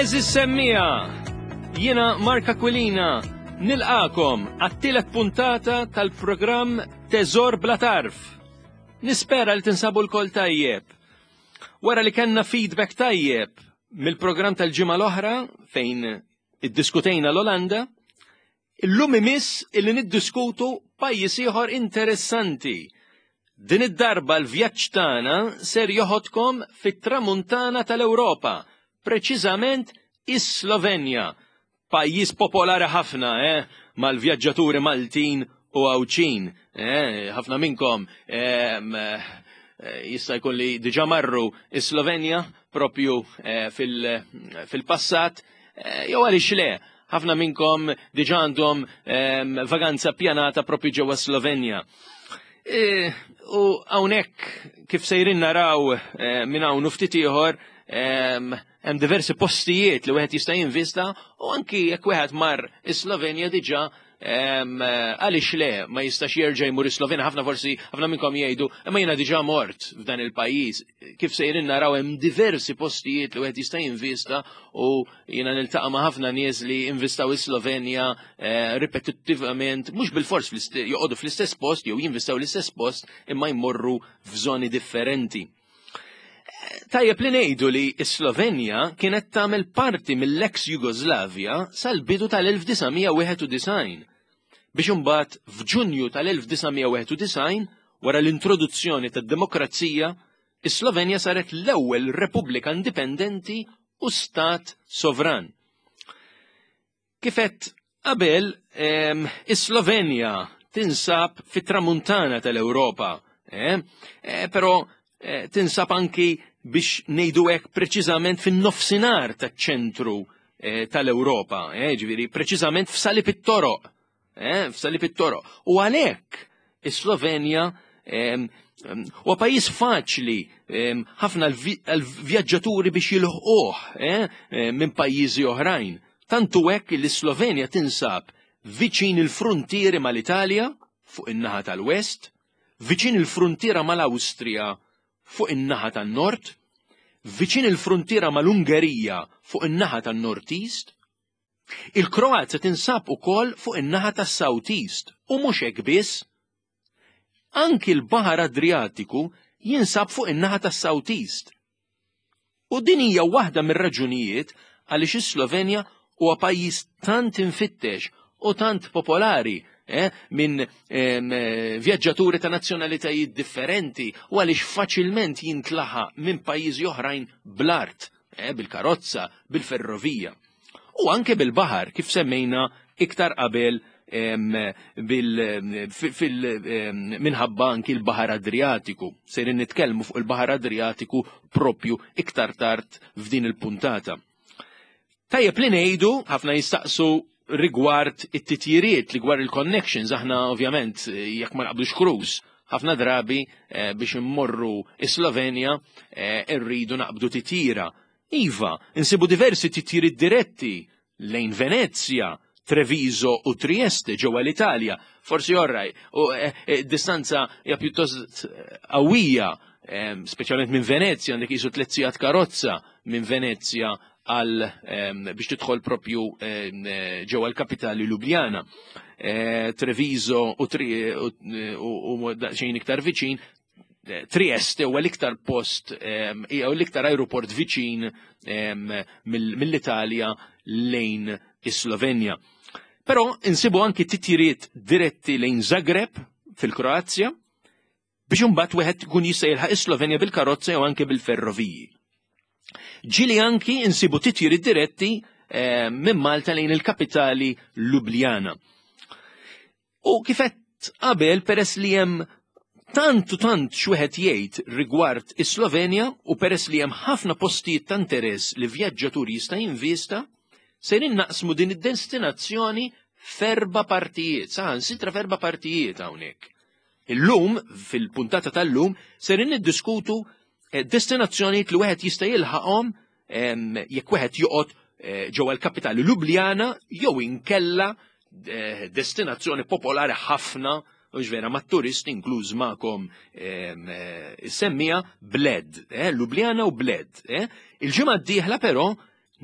Eżis semmija, jiena Mark Aquilina, nilqakom għat-tielet puntata tal-programm Teżor Bla Tarf. Nispera li tinsabu l-kol tajjeb. Wara li kellna feedback tajjeb mill-programm tal-ġimgħa l-oħra fejn iddiskutejna l-Olanda, illum imiss illi niddiskutu pajjiż ieħor interessanti. Din id-darba l-vjaġġ tagħna ser joħodkom fit-tramuntana tal-Ewropa, preċiżament is-Slovenja, Pajjiż popolari ħafna, eh, mal-vjaġġaturi Maltin u Għawdxin. Eh, ħafna minnkom eh, jista' jkun li diġà marru is-Slovenja propju eh, fil-passat, eh, jew għaliex le, ħafna minnkom diġà għandhom ehm, vaganza pjanata propju ġewwa Slovenja. E, u hawnhekk kif sejrin naraw eh, minn hawn u ftit ieħor ehm, Hemm diversi postijiet li wieħed jista' jinvista u anki jekk wieħed mar is-Slovenja diġà għaliex le ma jistax jerġa' jmur is-Slovenja ħafna forsi ħafna minnkom jgħidu imma jiena diġà mort f'dan il-pajjiż. Kif sejrin naraw hemm diversi postijiet li wieħed jista' jinvista u jiena niltaqa' ma' ħafna nies li investaw is-Slovenja eh, ripetittivament mhux bilfors joqogħdu fl-istess post jew jinvestaw l-istess post imma jmorru f'żoni differenti. Tajjeb li ngħidu li s-Slovenja kienet tagħmel parti mill-ex Jugoslavja sal-bidu tal-1991 biex imbagħad f'Ġunju tal-1991 wara l-introduzzjoni tad-demokrazija is-Slovenja saret l-ewwel repubblika indipendenti u stat sovran. Kif għedt qabel, is-Slovenja tinsab fit-tramuntana tal-Ewropa, eh? eh, però eh, tinsab anki biex ngħidu hekk preċiżament fin-nofsinhar taċ-ċentru tal-Ewropa, ġifieri preċiżament f'salib it-toroq eh, f'salib it-toroq. U għalhekk is-Slovenja huwa pajjiż faċli ħafna l-vjaġġaturi biex jilħquh eh, minn pajjiżi oħrajn. Tantu hekk li s-Slovenja tinsab viċin il-fruntieri mal-Italja fuq in-naħa tal-West, viċin il-fruntiera mal-Awstrija fuq in-naħa tan-Nord, viċin il-fruntiera mal-Ungerija fuq in-naħa tan-Nord East, Il-Kroazja tinsab ukoll fuq in-naħa tas-South East u mhux hekk biss. Anki l-Baħar Adriatiku jinsab fuq in-naħa tas-South East. U din hija waħda mir-raġunijiet għaliex is-Slovenja huwa pajjiż tant imfittex u tant popolari eh, minn eh, vjaġġaturi ta' nazzjonalitajiet differenti u għaliex faċilment jintlaħaq minn pajjiżi oħrajn bl-art eh, bil-karozza, bil-ferrovija. U anke bil-baħar, kif semmejna iktar qabel minħabba anki l-Baħar Adriatiku. Sejrin nitkellmu fuq il-Baħar Adriatiku propju iktar tard f'din il-puntata. Tajjeb li ngħidu, ħafna jistaqsu rigward it-titjiriet, rigward il-connections, aħna ovvjament jekk ma naqbdux cruise, ħafna drabi eh, biex immorru is-Slovenja eh, irridu naqbdu titjira. Iva, insibu diversi titjiriet diretti lejn Venezja, Treviso u Trieste ġewwa l-Italja. Forsi orraj, u eh, eh, distanza hija pjuttost eh, qawwija, speċjalment minn Venezja, għandek jisu tliet sigħat karozza minn Venezja għal biex tidħol propju ġewwa l-kapitali Ljubljana. Treviso u xejn iktar viċin, Trieste huwa l-iktar post jew l-iktar aeroport viċin mill-Italja lejn is-Slovenja. Però insibu anki titjiriet diretti lejn Zagreb fil-Kroazja biex imbagħad wieħed ikun jista' jilħaq is-Slovenja bil-karozza jew anke bil-ferroviji. Ġieli anki insibu titjiriet diretti minn Malta lejn il-kapitali Ljubljana. U kif għedt qabel peress li hemm tant u tant x'wieħed jgħid rigward is-Slovenja u peress li hemm ħafna postijiet ta' interess li vjaġġatur jista' jinvista, sejrin naqsmu din id-destinazzjoni f'erba' partijiet, saħansitra f'erba' partijiet hawnhekk. Illum, fil-puntata tal-lum, sejrin niddiskutu eh, destinazzjonijiet li wieħed jista' jilħaqhom jekk wieħed joqgħod eh, ġewwa l-kapitali Ljubljana jew inkella eh, destinazzjoni popolari ħafna u vera ma' turisti inkluż magħkom eh, semmija Bled, Ljubljana u Bled. Il-ġimgħa d-dieħla però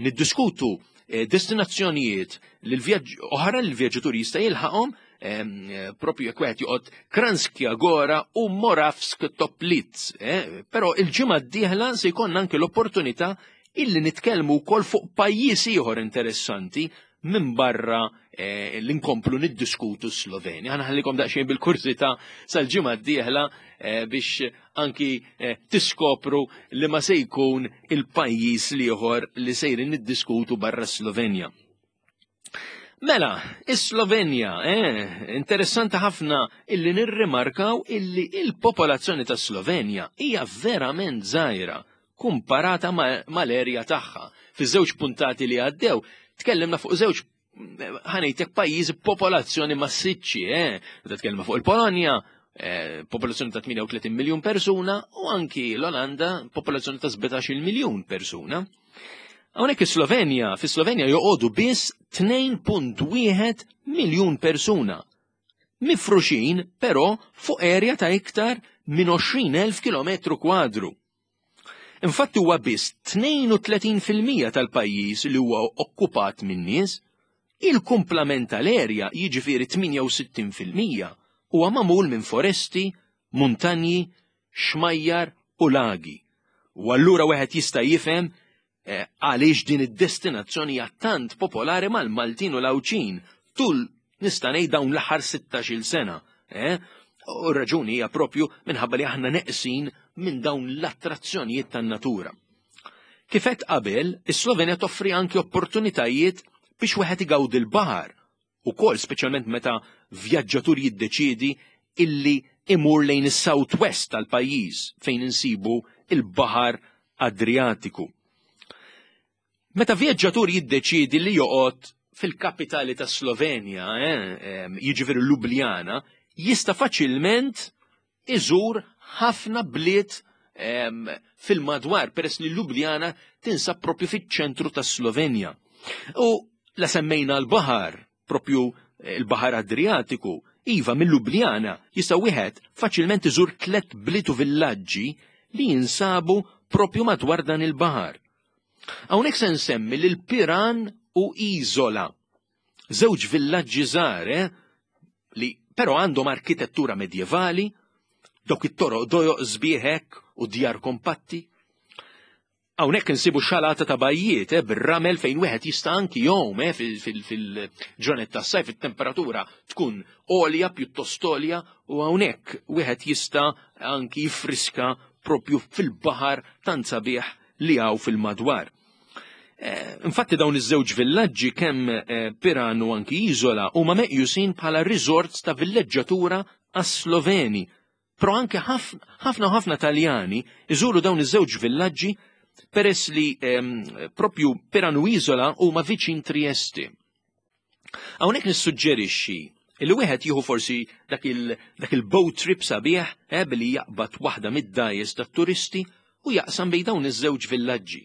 niddiskutu eh, destinazzjonijiet li l-vjaġġ oħra li l-vjaġġatur jista' jilħaqhom eh, propju jekk wieħed joqgħod Kranskja Gora u Moravsk Toplitz. Eh, però il-ġimgħa d-dieħla se jkollna anke l-opportunità illi nitkellmu wkoll fuq pajjiż ieħor interessanti minn barra eh, li nkomplu niddiskutu Slovenja. Ħa nħallikom daqsxejn bil-kursità sal-ġimgħa d-dieħla eh, biex anki eh, tiskopru li ma se jkun il-pajjiż l-ieħor li sejrin niddiskutu barra Slovenja. Mela, is-Slovenja, eh, interessanti ħafna illi nirrimarkaw illi il-popolazzjoni ta' Slovenja hija verament żgħira kumparata mal-erja tagħha. Fiż-żewġ puntati li għaddew, tkellimna fuq żewġ ħa ngħidlek pajjiż popolazzjoni massiċċi, eh? Meta tkellimna fuq il-Polonja, eh, popolazzjoni ta' 38 miljun persuna u anki l-Olanda popolazzjoni ta' 17 miljun persuna. Hawnhekk is-Slovenja, fis-Slovenja joqogħdu biss 2.1 miljun persuna. Mifruxin però fuq erja ta' iktar minn 20,000 km kwadru. Infatti huwa biss 32% tal-pajjiż li huwa okkupat minn nies, il-kumplament tal-erja jiġifieri 68% huwa magħmul minn foresti, muntanji, xmajjar u lagi. U allura wieħed jista' jifhem eh, għaliex din id-destinazzjoni hija tant popolari mal-Maltin u l-Għawdxin tul nista' ngħid dawn l-aħħar 16-il sena. Eh? U r-raġuni hija propju minħabba li aħna neqsin minn dawn l-attrazzjonijiet tan-natura. Kif għedt qabel, is-Slovenja toffri anki opportunitajiet biex wieħed igawdi l-baħar ukoll speċjalment meta vjaġġatur jiddeċiedi illi imur lejn is-South West tal-pajjiż fejn insibu il-Baħar Adriatiku. Meta vjaġġatur jiddeċiedi li joqgħod fil-kapitali ta' Slovenja, eh, jiġifieri Ljubljana, jista' faċilment iżur ħafna bliet fil-madwar peress li Ljubljana tinsab propju fiċ-ċentru ta' Slovenja. U la semmejna l-baħar, propju eh, l-baħar Adriatiku, iva minn Ljubljana jista' wieħed faċilment iżur tlet bliet u villaġġi li jinsabu propju madwar dan il-baħar. Hawnhekk se nsemmi lil Piran u Izola. Żewġ villaġġi żgħar eh, li però għandhom arkitettura medjevali, dawk it-toroq dojoq sbieħ hekk u djar kompatti. Hawnhekk insibu xalata ta' bajjiet eh, bir-ramel fejn wieħed jista' anki jom eh, fil-ġranet tas-sajf it-temperatura tkun għolja pjuttost għolja u hawnhekk wieħed jista' anki jiffriska propju fil-baħar tant sabiħ li hawn fil-madwar. Eh, infatti dawn iż-żewġ villaġġi kemm eh, Piran u anki Izola huma meqjusin bħala resorts ta' villeġġatura għas-Sloveni. Però anke ħafna u ħafna Taljani iżuru dawn iż-żewġ villaġġi peress li ehm, propju Piran u Izola huma viċin Trieste. Hawnhekk nissuġġerixxi li wieħed jieħu forsi dak il-boat trip sabiħ eh, billi jaqbad waħda mid-dgħajjes tat-turisti u jaqsam bejn dawn iż-żewġ villaġġi.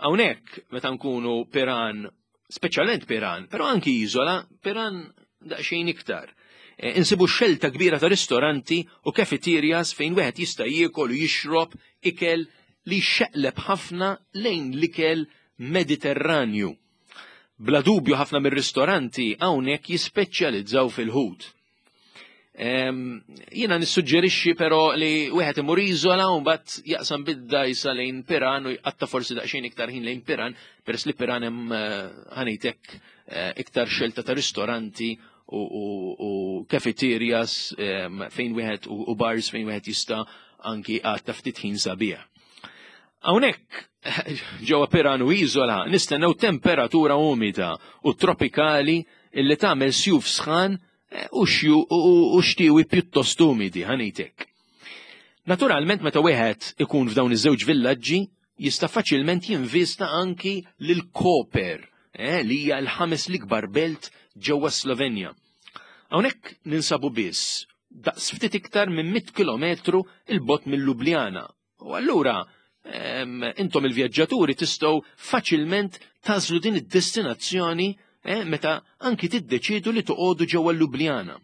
Hawnhekk meta nkunu Piran, speċjalment Piran, però anki Iżola, Piran daqsxejn iktar. Eh, insibu xelta kbira ta' ristoranti u cafeterias fejn wieħed jista' jiekol u jixrob ikel li xeqleb ħafna lejn l-ikel Mediterranju. Bla dubju ħafna mir-ristoranti hawnhekk jispeċjalizzaw fil-ħut. Jiena nissuġġerixxi però li wieħed imur Iżola u mbagħad jaqsam bid-dgħajsa lejn Piran u jqatta' forsi daqsxejn iktar ħin lejn Piran, peress li Piran hemm eh, ħa ngħidlek eh, iktar xelta ta' ristoranti u cafeterias fejn wieħed u bars fejn wieħed jista' anki għatta ftit ħin sabiħ. Hawnhekk ġewwa Piran u Iżola nistennew temperatura umida u tropikali illi tagħmel sjuf sħan eh, u xtiewi pjuttost umidi ħa ngħidlek. Naturalment meta wieħed ikun f'dawn iż-żewġ villaġġi jista' faċilment jinvista anki lil Koper, eh, li hija l-ħames l-ikbar belt ġewwa Slovenja. Hawnhekk ninsabu biss daqs ftit iktar minn 100 kilometru 'il bogħod minn Ljubljana. U allura intom il-vjaġġaturi tistgħu faċilment tagħżlu din id-destinazzjoni eh, meta anki tiddeċidu li toqogħdu ġewwa Ljubljana.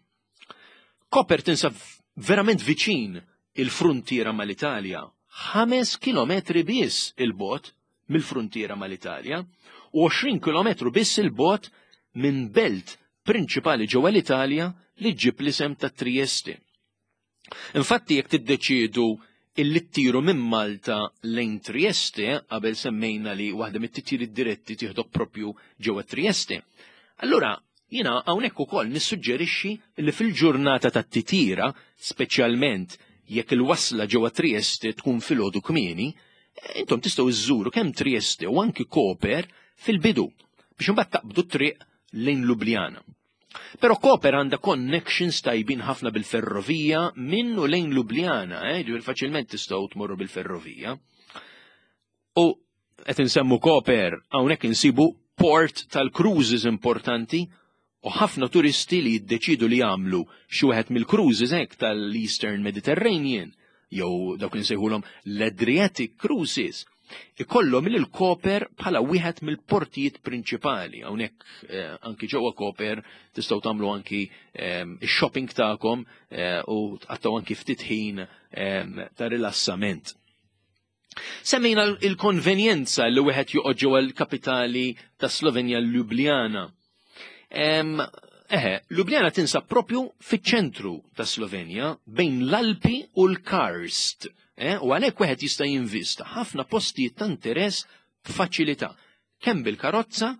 Koper tinsab verament viċin il-fruntiera mal-Italja, 5 kilometri biss 'il bogħod. mill-fruntiera mal-Italja u 20 kilometru biss 'il bogħod minn belt prinċipali ġewwa l-Italja li ġġib l-isem ta' Trieste. Infatti jekk tiddeċiedu illi ttiru minn Malta lejn Trieste, qabel semmejna li waħda mit-titjiriet diretti tieħdok propju ġewwa Trieste. Allura jiena hawnhekk ukoll nissuġġerixxi li fil-ġurnata tat-titjira, speċjalment jekk il-wasla ġewwa Trieste tkun filgħodu kmieni, intom tistgħu żżuru kemm Trieste u anki Koper fil-bidu biex imbagħad taqbdu t-triq lejn Ljubljana. Però Koper għandha connections tajbin ħafna bil-ferrovija minn u lejn Ljubljana, eh, ġifieri faċilment tistgħu tmorru bil-ferrovija. U qed insemmu Koper hawnhekk insibu port tal-cruises importanti u ħafna turisti li jiddeċidu li jagħmlu xi wieħed mill-cruises hekk tal-Eastern Mediterranean jew dawk li nsejħulhom l-Adriatic Cruises ikollhom lil Koper bħala wieħed mill-portijiet prinċipali. Hawnhekk eh, anki ġewwa Koper tistgħu tagħmlu anki eh, ix-shopping tagħkom eh, u tqattgħu anki ftit ħin eh, ta' rilassament. Semmejna il-konvenjenza li wieħed joqgħod ġewwa l-kapitali ta' Slovenja Ljubljana. Eħe, Ljubljana tinsab propju fiċ-ċentru ta' Slovenja bejn l-Alpi u l-Karst. Eh, u għalhekk wieħed jista' jinvista ħafna postijiet ta' interess b'faċilità, kemm bil-karozza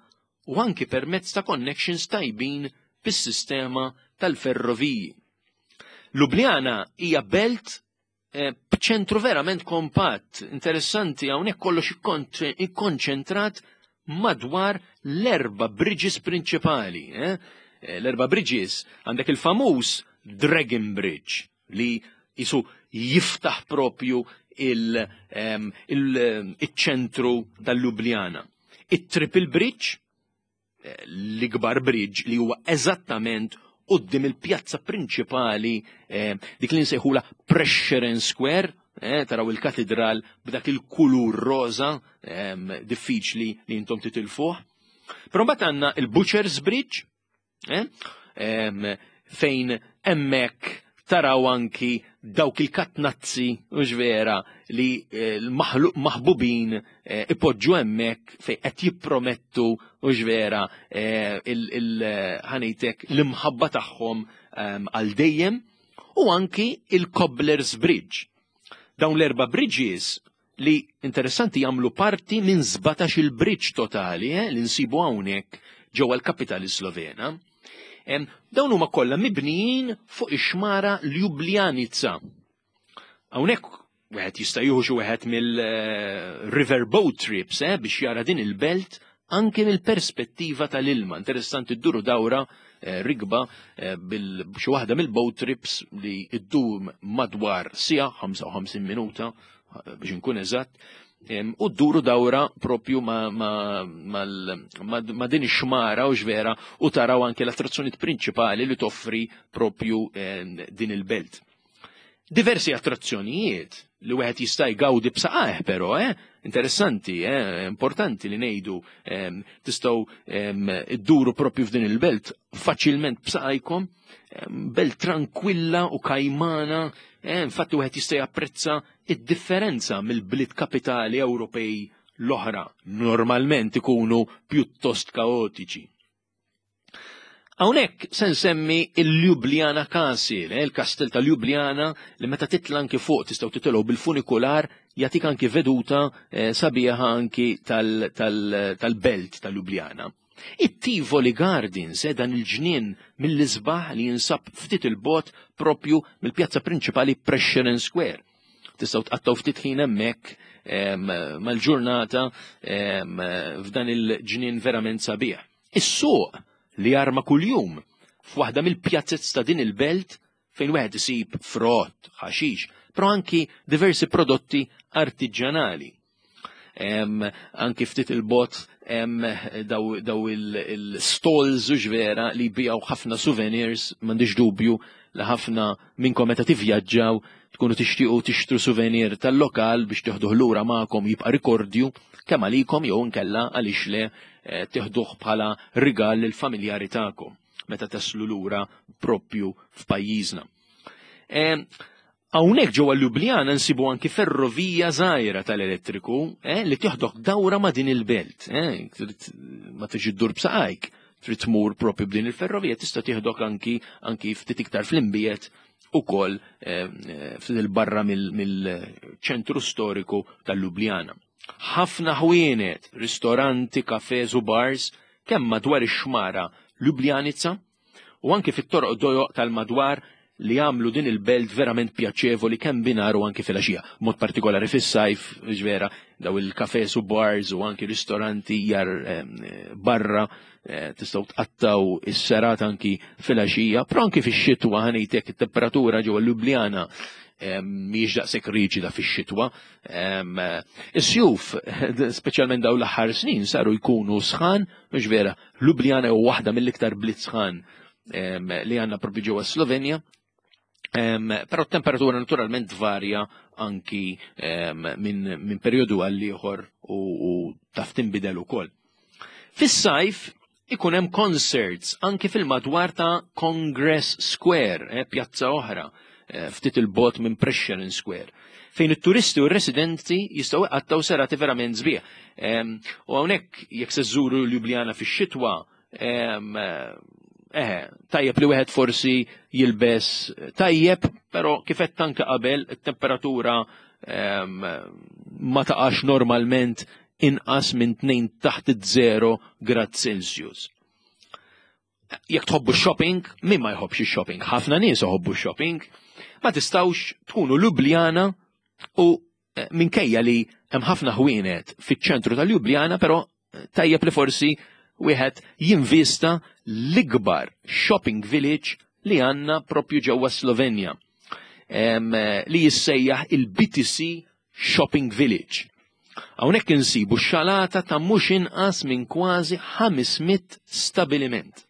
u anki permezz ta' connections tajbin bis-sistema tal-ferroviji. Ljubljana hija belt Eh, b'ċentru verament kompatt, interessanti hawnhekk kollox ikkonċentrat madwar l-erba bridges prinċipali. Eh? Eh, l-erba bridges għandek il-famuż Dragon Bridge li jisu jiftaħ propju il-ċentru tal-Ljubljana. Il-Triple Bridge l-ikbar bridge li huwa eżattament qudiem il-pjazza prinċipali eh, dik li nsejħula Prešeren Square, eh, taraw il-katedral b'dak il-kulur roża eh, diffiċli li intom titilfuh. Però mbagħad għandna il-Butcher's Bridge, eh, fejn hemmhekk taraw anki dawk il-katnazzi, u vera, li eh, l-maħbubin eh, ipoġġu hemmhekk fejn qed jippromettu u vera eh, ħanejtek l-imħabba tagħhom ehm, għal dejjem u anki il-Cobblers Bridge. Dawn l-erba' bridges li interessanti jagħmlu parti minn 17 il-bridge totali eh, li nsibu hawnhekk ġewwa l-kapitali Slovena. Dawn huma kollha mibnijin fuq ix-xmara Ljubljanica. Hawnhekk wieħed jista' jieħu xi wieħed mill-river boat trips eh, biex jara din il-belt anke mill-perspettiva tal-ilma. Interessanti dduru dawra eh, rigba eh, bil xi waħda mill-boat trips li ddum madwar sija 55 minuta eh, biex nkun eżatt u dduru dawra propju ma, ma, ma, ma, ma din ix-xmara u xvera u taraw anke l-attrazzjonijiet prinċipali li toffri propju din il-belt. Diversi attrazzjonijiet li wieħed jista' jgawdi b'saqajh però, eh? Interessanti, eh? Importanti li ngħidu eh, tistgħu eh, idduru propju f'din il-belt faċilment b'saqajkom, eh, belt tranquilla u kajmana, eh, infatti wieħed jista' japprezza id-differenza mill-bliet kapitali Ewropej l-oħra normalment ikunu pjuttost kaotiċi. Hawnhekk se nsemmi il-Ljubljana Castle, eh, il-kastell ta' Ljubljana li meta titla anki fuq tistgħu titilgħu bil-funikular jagħtik anki veduta eh, sabiħa anki tal-belt ta' Ljubljana. It-Tivoli Gardens, eh, dan il-ġnien mill-isbaħ li jinsab ftit il-bot propju mill-pjazza prinċipali Prešeren Square. Tistgħu tqattgħu ftit ħin hemmhekk mal-ġurnata f'dan il-ġnien verament sabiħ. Is-suq li jarma kuljum f'waħda mill-pjazzez ta' din il-belt fejn wieħed isib frott, ħaxix, però anki diversi prodotti artiġjanali. Anki ftit il-bot daw, daw il-stalls u vera li jbijaw ħafna souvenirs, m'għandix dubju li ħafna minnkom meta tivvjaġġaw tkunu tixtiequ tixtru souvenir tal-lokal biex tieħduh lura magħkom jibqa' rikordju kemm għalikom jew inkella għaliex le eh, tieħduh bħala rigal lill-familjari tagħkom meta taslu lura propju f'pajjiżna. Hawnhekk ġewwa Ljubljana nsibu anki ferrovija żgħira tal-elettriku eh, li tieħdok dawra ma' din il-belt. Eh, ma tiġi ddur b'saqajk, trid tmur propju b'din il-ferrovija, tista' tieħdok anki anki ftit iktar fl-imbiet ukoll eh, ftit il-barra mill-ċentru storiku tal-Ljubljana. Ħafna ħwienet, ristoranti, kafes u bars kemm madwar ix-xmara Ljubljanica u anki fit-toroq dojoq tal-madwar li jagħmlu din il-belt verament pjaċevoli kemm binar u anki filgħaxija. Mod partikolari fis-sajf, vera, daw il-kafes u bars u anki ristoranti jar barra eh, tistgħu tqattaw is-serat anki filgħaxija, però anki fix-xitwa ħanejtek it-temperatura ġewwa Ljubljana mhijiex daqshekk riġida fix-xitwa. Is-sjuf, speċjalment daw l-aħħar snin, saru jkunu sħan, mhux vera, Ljubljana hu waħda mill-iktar bliet sħan li għandna propju ġewwa Slovenja. Però t-temperatura naturalment tvarja anki minn min perjodu għal ieħor u, u taf tinbidel ukoll. Fis-sajf ikun hemm concerts anki fil-madwar ta' Congress Square, eh, pjazza oħra, eh, ftit il-bot minn Prešeren Square, fejn it-turisti u r-residenti jistgħu iqattgħu serati verament sbieħ. U hawnhekk jekk se żżuru Ljubljana fix-xitwa, eh, tajjeb li wieħed forsi jilbes tajjeb, però kif qed anke qabel it-temperatura ma taqax normalment inqas minn 2 taħt iż-0 grad Celsius. Jekk tħobbu shopping, min ma jħobbx shopping? Ħafna nies iħobbu shopping. Ma tistgħux tkunu Ljubljana u eh, minkejja li hemm ħafna ħwienet fiċ-ċentru tal-Ljubljana, però eh, tajjeb li forsi wieħed jinvista l-ikbar shopping village li għandna propju ġewwa Slovenja eh, li jissejjaħ il-BTC Shopping Village. Hawnhekk insibu xalata ta' mhux inqas minn kważi 500 stabiliment,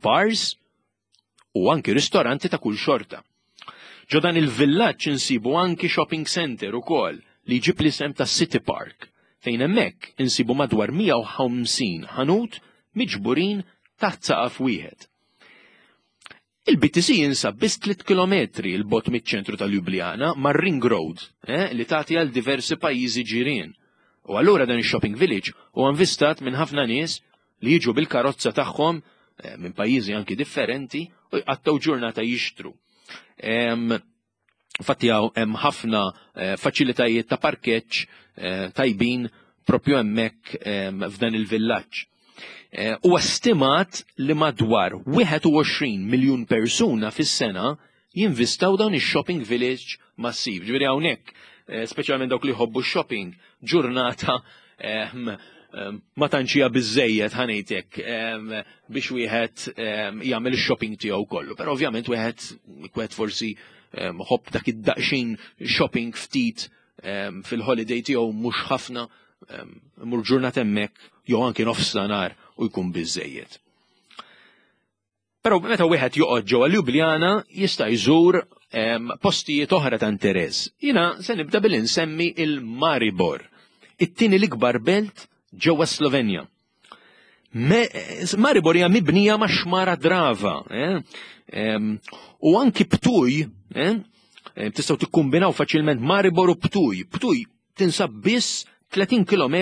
bars u anki ristoranti ta' kull xorta. Ġo dan il-villaġġ insibu anki shopping center ukoll li jġib l-isem ta' City Park, fejn hemmhekk insibu madwar 150 ħanut miġburin taħt saqaf wieħed. Il-BTC jinsab biss 3 kilometri 'l bogħod miċ-ċentru ta' Ljubljana mar-Ring Road eh, li tagħti għal diversi pajjiżi ġirien. U allura dan ix-shopping village huwa invistat minn ħafna nies li jiġu bil-karozza tagħhom eh, minn pajjiżi anki differenti u jqattgħu ġurnata jixtru. Infatti hemm ħafna eh, faċilitajiet ta' parkeġġ eh, tajbin propju hemmhekk ehm, f'dan il-villaġġ. Eh, huwa stimat li madwar 21 miljun persuna fis-sena jinvistaw dawn ix-shopping village massiv. Ġifieri hawnhekk, speċjalment dawk li jħobbu shopping, ġurnata ehm, ehm, ma tantx hija biżejjed ħanejtek biex wieħed jagħmel ix-shopping tiegħu kollu. Però ovvjament wieħed wieħed forsi ħobb dak id-daqsxejn shopping ftit fil-holiday tiegħu mhux ħafna mur ġurnata hemmhekk jew anki nofs nhar u jkun biżejjed. Però meta wieħed joqgħod ġewwa Ljubljana jista' jżur postijiet oħra ta' interess. Jiena se nibda billi nsemmi il-Maribor, it-tieni l-ikbar belt ġewwa Slovenja. Maribor hija mibnija ma' xmara Drava. Eh? U anki Ptuj, eh? tistgħu tikkumbinaw faċilment Maribor u Ptuj. Ptuj tinsab biss 30 km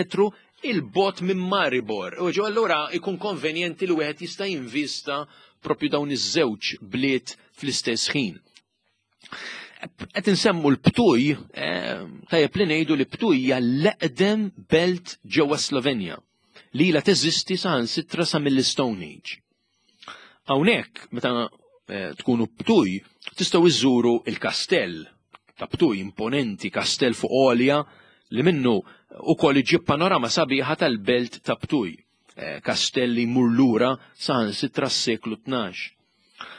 il-bot minn Maribor. U ġo allura ikun konvenjenti li wieħed jista' jinvista propju dawn iż-żewġ bliet fl-istess ħin. Qed insemmu l-Ptuj, eh, tajjeb li ngħidu li Ptuj hija l-eqdem belt ġewwa Slovenja li ilha teżisti saħansitra sa mill-Stone Age. Hawnhekk meta eh, tkunu Ptuj tistgħu iżżuru il-kastell ta' Ptuj imponenti, kastell fuq għolja li minnu ukoll iġib panorama sabiħa tal-belt ta' Ptuj. Eh, kastell li jmur lura saħansitra s-seklu 12.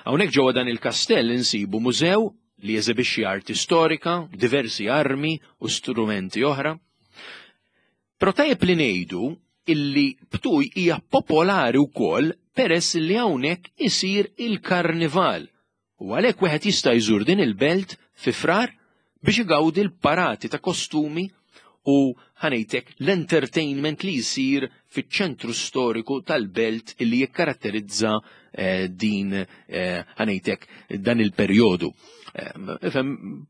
Hawnhekk ġewwa dan il-kastell insibu mużew li jeżibixxi arti storika, diversi armi u strumenti oħra. Però tajjeb li ngħidu illi Ptuj hija popolari wkoll peress li hawnhekk isir il-karnival U għalhekk wieħed jista' jżur din il-belt fi Frar biex igawdi l-parati ta' kostumi u ħanejtek l-entertainment li jsir fiċ-ċentru storiku tal-belt illi jikkaratterizza eh, din eh, ħanejtek dan il-perjodu. Ifhem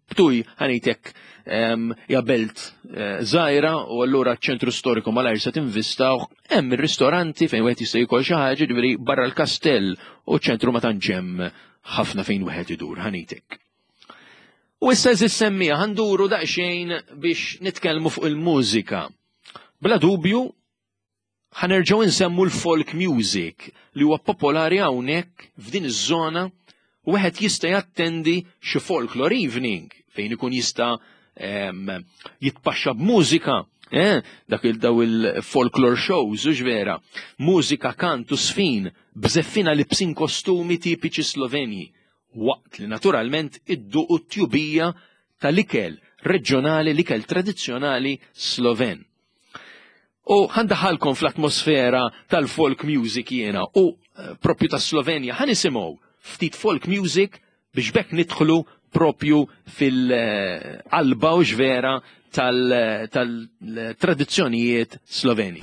Ptuj ħanejtek hija belt eh, żgħira u allura ċ-ċentru storiku malajr se tinvistaw hemm ir-ristoranti fejn wieħed jista' jkoll xi ħaġa ġifieri barra l-kastell u ċ-ċentru ma tantx hemm ħafna fejn wieħed idur ħanejtek. U issa eżis semmija ħanduru daqsxejn biex nitkellmu fuq il-mużika. Bla dubju, ħanerġgħu nsemmu l-folk music li huwa popolari hawnhekk f'din iż-żona u wieħed jista' jattendi xi folklore evening fejn ikun jista' jitpaxxa b'mużika, eh, dak il-daw il-folklore shows, u vera, mużika, kant u sfin, bżeffina libsin kostumi tipiċi Slovenji, waqt li naturalment idduqu t-tjubija tal-ikel reġjonali, l-ikel tradizzjonali Sloven. U ħandaħalkom fl-atmosfera tal-folk music jiena u eh, propju ta' Slovenja ħan nisimgħu ftit folk music biex bekk nidħlu propju fil-qalba u ġvera tal-tradizzjonijiet Sloveni.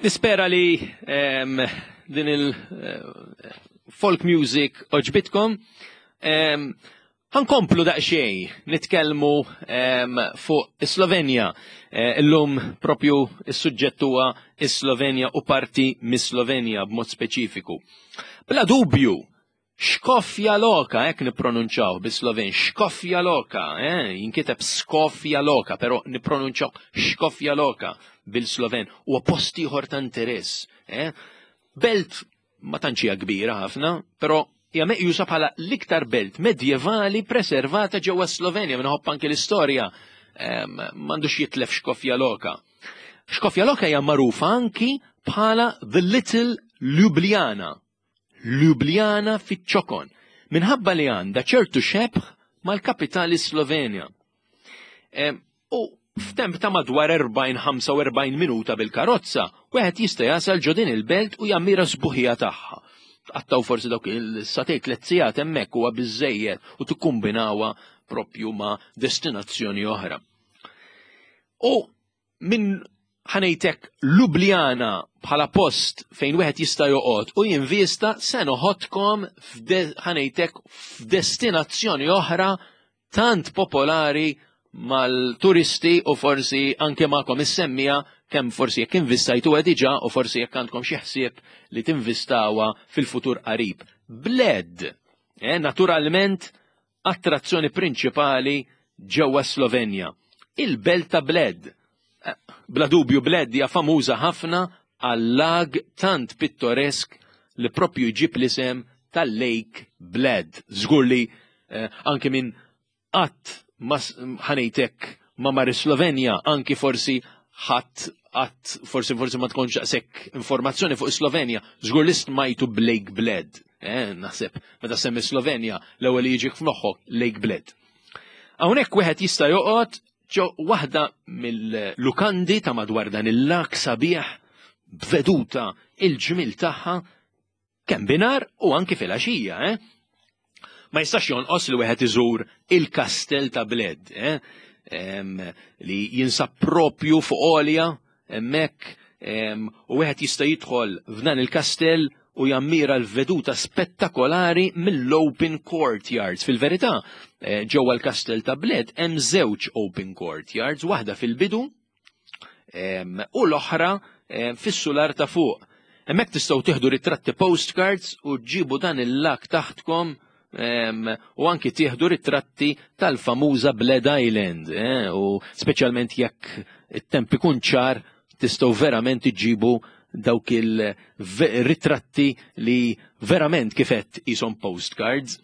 Nispera li din il-folk music oġbitkom. Ħankomplu daqsxejn nitkellmu fuq is-Slovenja. Eh, illum propju is-suġġett huwa is-Slovenja u parti mis-Slovenja b'mod speċifiku. Bla dubju, Škofja Loka, hekk nippronunċaw bis-Sloven, Škofja Loka, eh, jinkiteb Skofja Loka, però nippronunċaw Škofja Loka bil-Sloven, huwa post ieħor ta' interess. Eh. Belt ma tantx hija kbira ħafna, però hija meqjusa bħala l-iktar belt medjevali preservata ġewwa Slovenja minħabba anke l-istorja m'għandux jitlef Škofja Loka. Škofja Loka hija magħrufa anki bħala The Little Ljubljana Ljubljana fiċ-ċokon, minħabba li għandha ċertu xebh mal-kapitali Slovenja. U f'temp ta' madwar 40-45 minuta bil-karozza, wieħed jista' jasal ġo din il-belt u jammira sbuħija tagħha. Tqattaw forsi dawk il-satej tliet sigħat hemmhekk huwa biżejjed u tikkumbinawha propju ma' destinazzjoni oħra. U minn ħanejtek Ljubljana bħala post fejn wieħed jista' joqgħod u jinvista se noħodkom ħanejtek f'destinazzjoni oħra tant popolari mal-turisti u forsi anke magħkom is-semmija kemm forsi jekk investajtuha diġà u forsi jekk għandkom xi ħsieb li tinvestawha fil-futur qarib. Bled, eh, naturalment attrazzjoni prinċipali ġewwa Slovenja. Il-belt ta' Bled. Eh, bla dubju Bled hija famuża ħafna għal-lag tant pittoresk li propju jġib l-isem tal-Lake Bled. Żgur li eh, anke minn qatt ma ħanejtek ma mar Slovenja, anki forsi ħadd qatt forsi forsi ma tkunx daqshekk informazzjoni fuq Slovenja, żgur li smajtu b'Lake Bled. Eh, naħseb meta semmi Slovenja l-ewwel li jiġik f'moħħok Lake Bled. Hawnhekk wieħed jista' joqgħod ġo waħda mill-lukandi ta' madwar dan il-lak sabiħ b'veduta il-ġmil tagħha kemm binar u anki fil-għaxija, eh? Ma jistax jonqos li wieħed iżur il-Kastell ta' Bled, eh? li jinsab propju fuq għolja hemmhekk u wieħed jista' jidħol f'dan il-kastell u jammira l-veduta spettakolari mill-open courtyards. Fil-verità, eh, ġewwa l-kastell ta' Bled hemm żewġ open courtyards, waħda fil-bidu u l-oħra fis-sular ta' fuq. Hemmhekk tistgħu tieħdu ritratti postcards u ġġibu dan il-lak taħtkom u anki tieħdu ritratti tal-famuża Bled Island eh, u speċjalment jekk it-temp ikun ċar tistgħu verament iġibu dawk il-ritratti li verament kifet jisom postcards.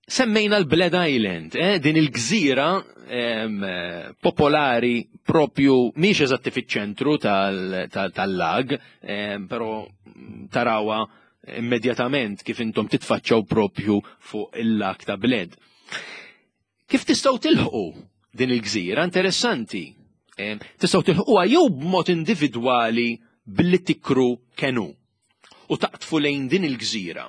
Semmejna l-Bled Island, eh, din il-gżira eh, popolari propju miex eżatti fiċ-ċentru tal-lag, eh, però tarawa immedjatament kif intom titfaċċaw propju fuq il-lag ta' Bled. Kif tistgħu tilħqu din il-gżira interessanti? Eh, tistgħu tilħquha jew b'mod individwali billi tikru kenu u taqtfu lejn din il-gżira.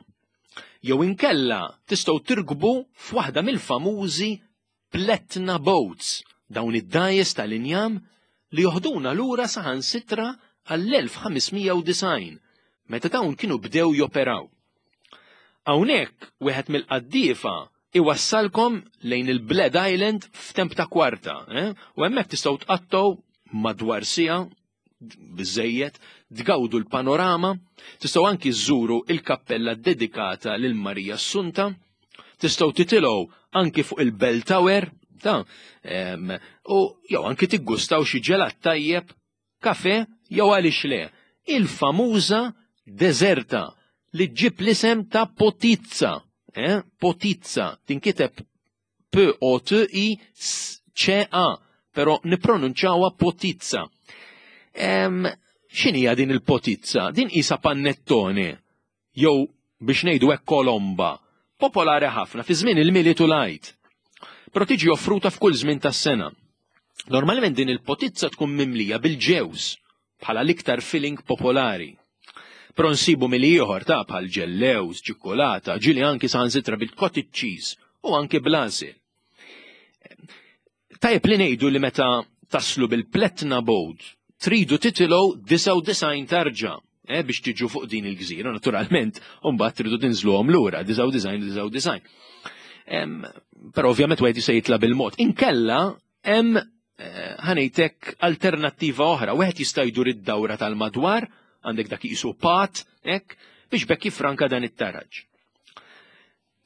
Jew inkella tistgħu tirkbu f'waħda mill-famużi pletna boats, dawn id-dgħajjes tal-injam li joħduna lura saħansitra għall-1590 meta dawn kienu bdew joperaw. Hawnhekk wieħed mill-qaddiefa iwassalkom lejn il-Bled Island f'temp ta' kwarta, eh? u hemmhekk tistgħu tqattgħu madwar siegħa biżejjed, tgawdu l-panorama, tistgħu anki żżuru il-kappella dedikata lil Marija Assunta, tistgħu titilgħu anki fuq il-Bell Tower, ta' u jew anki tiggustaw xi ġelat tajjeb, kafe jew għaliex le, il-famuża deżerta li ġġib l-isem ta' Potizza, eh? Potizza, tinkiteb P-O-T-I-C-A, pero nipronunċawha potizza. X'inhija din il-potizza? Din qisha pannettone, jew biex ngħidu hekk kolomba, popolari ħafna fi żmien il-Milied u l-Għid. Però tiġi offruta f'kull żmien tas-sena. Normalment din il-potizza tkun mimlija bil-ġewż bħala l-iktar filling popolari. Però nsibu mili ieħor ta' bħal ġellewż, ċikkulata, ġieli anki saħansitra bil-cottage cheese u anki bl-għasel. Tajjeb li ngħidu li meta taslu bil-pletna boat tridu titilgħu 99 tarġa eh, biex tiġu fuq din il-gżira, naturalment, u mbagħad tridu tinżluhom lura, 99 99. Però ovvjament wieħed jista' jitla' bil-mod. Inkella hemm eh, ħanejtek alternattiva oħra, wieħed jista' jdur id-dawra tal-madwar, għandek dak jisu pat, hekk, biex bekk jifranka dan it-taraġ.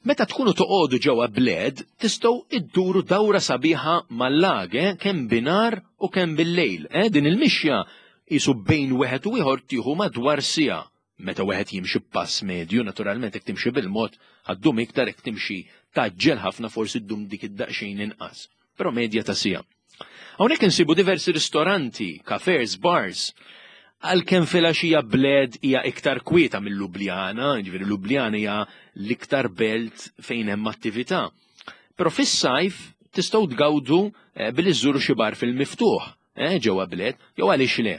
Meta tkunu toqogħdu ġewwa Bled, tistgħu idduru dawra sabiħa mal-lag, eh, kemm binhar u kemm bil-lejl. Eh, din il-mixja qisu bejn wieħed u ieħor tieħu madwar siegħa. Meta wieħed jimxi b'pass medju, naturalment jekk timxi bil-mod ħaddum iktar jekk timxi tgħaġġel ħafna forsi ddum dik id-daqsxejn inqas. Però medja ta' siegħa. Hawnhekk insibu diversi ristoranti, cafes, bars. Għalkemm filgħaxija Bled hija iktar kwieta minn Ljubljana, jiġifieri Ljubljana hija l-iktar belt fejn hemm attività. Però fis-sajf tistgħu tgawdu eh, billi żżuru xi bar fil-miftuħ eh, ġewwa Bled, jew għaliex le.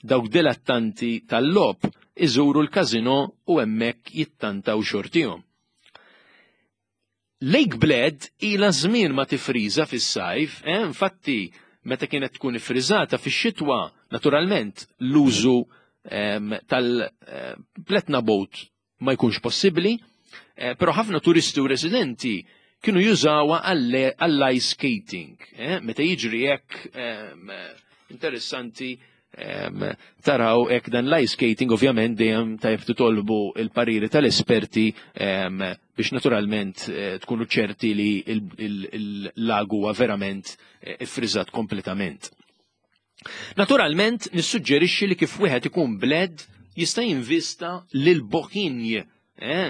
Dawk dilettanti tal-logħob iżuru l-każinò u hemmhekk jittantaw xortihom. Lake Bled ilha żmien ma tifriża fis-sajf, eh, infatti meta kienet tkun iffriżata fix-xitwa, naturalment l-użu ehm, tal-pletna boat ma jkunx possibbli, eh, però ħafna turisti u residenti kienu jużawha għall-ice skating. Eh, meta jiġri hekk ehm, interessanti Taraw hekk dan l-ice skating ovvjament dejjem tajjeb titolbu il-pariri tal-esperti biex naturalment eh, tkunu ċerti li il-lag huwa verament eh, iffriżat kompletament. Naturalment nissuġġerixxi li kif wieħed ikun bled jista' jinvista lil Bohinj eh,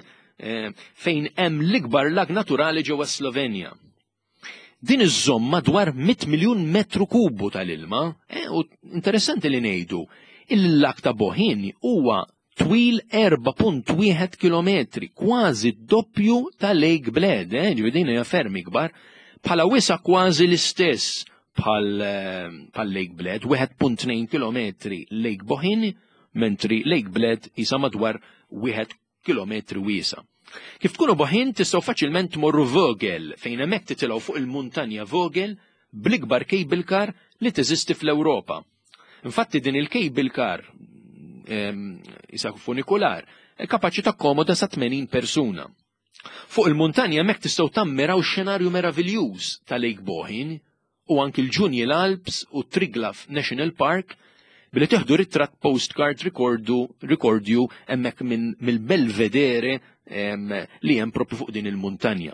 fejn hemm l-ikbar lag naturali ġewwa Slovenja. Din iżżomm madwar 100 miljun metru kubu tal-ilma, eh, u interessanti li ngħidu il-lak ta' Bohin huwa twil 4.1 kilometri, kważi d-doppju ta' Lake Bled, eh, ġifieri din hija ferm ikbar, bħala wisa kważi l-istess bħal eh, Lake Bled, 1.2 kilometri Lake Bohin, mentri Lake Bled isa madwar 1 kilometri wiesa'. Kif tkunu Boħin tistgħu faċilment tmorru Vogel fejn hemmhekk titilgħu fuq il-muntanja Vogel bl-ikbar cable car li teżisti fl-Ewropa. Infatti din il-cable car isa funikular kapaċi takkomoda sa 80 persuna. Fuq il-muntanja hemmhekk tistgħu tammiraw xenarju meraviljuż ta' Lake Bohin u anki l-Junial Alps u Triglav National Park billi teħdu ritratt postcard rikordu rikordju hemmhekk minn mill-Belvedere li hemm propju fuq din il-muntanja.